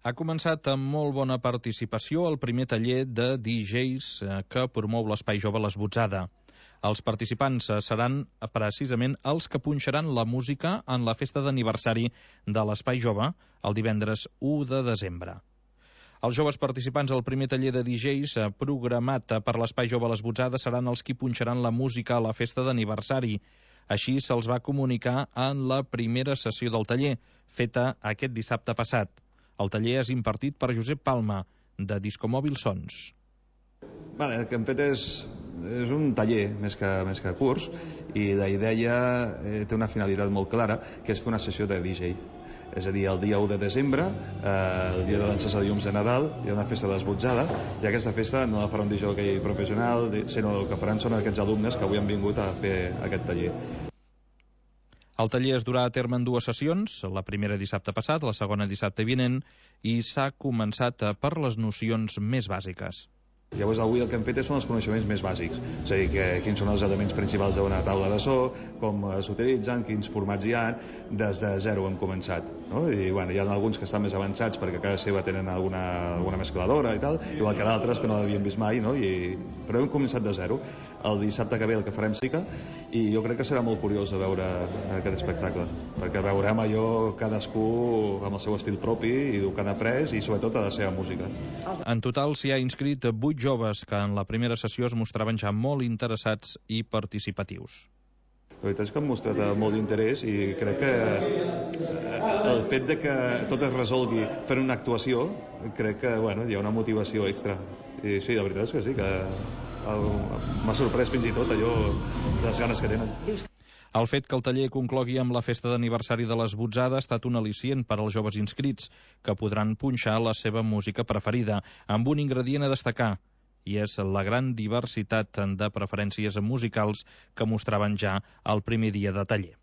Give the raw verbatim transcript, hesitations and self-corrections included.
Ha començat amb molt bona participació el primer taller de D Js que promou l'Espai Jove L'Esbotzada. Els participants seran precisament els que punxaran la música en la festa d'aniversari de l'Espai Jove el divendres u de desembre. Els joves participants al primer taller de D Js programat per l'Espai Jove L'Esbotzada seran els qui punxaran la música a la festa d'aniversari. Així se'ls va comunicar en la primera sessió del taller, feta aquest dissabte passat. El taller és impartit per Josep Palma, de Discomòbil Sons. Vale, el que hem fet és, és un taller més que, més que curs, i la idea eh, té una finalitat molt clara, que és fer una sessió de D J. És a dir, el dia u de desembre, eh, el dia de llançar de llums de Nadal, hi ha una festa d'esbotzada, i aquesta festa no la farà un D J professional, sinó el que faran són aquests alumnes que avui han vingut a fer aquest taller. El taller es durà a terme en dues sessions, la primera dissabte passat, la segona dissabte vinent, i s'ha començat per les nocions més bàsiques. Llavors avui el que hem fet són els coneixements més bàsics, és a dir, que, quins són els elements principals d'una taula de so, com s'utilitzen, quins formats hi ha, des de zero hem començat, no? I bueno, hi ha alguns que estan més avançats perquè a casa seva tenen alguna, alguna mescladora i tal, igual que d'altres que no l'havien vist mai, no? I, però hem començat de zero. El dissabte que ve el que farem sí que, i jo crec que serà molt curiós de veure aquest espectacle, perquè veurem allò cadascú amb el seu estil propi i el que han après i sobretot a la seva música. En total s'hi ha inscrit vuit joves que en la primera sessió es mostraven ja molt interessats i participatius. La veritat és que han mostrat molt d'interès i crec que el fet de que tot es resolgui fent una actuació, crec que bueno, hi ha una motivació extra. I sí, la veritat és que sí, que m'ha sorprès fins i tot allò, les ganes que tenen. El fet que el taller conclogui amb la festa d'aniversari de l'Esbotzada ha estat un al·licient per als joves inscrits, que podran punxar la seva música preferida, amb un ingredient a destacar, i és la gran diversitat de preferències musicals que mostraven ja el primer dia de taller.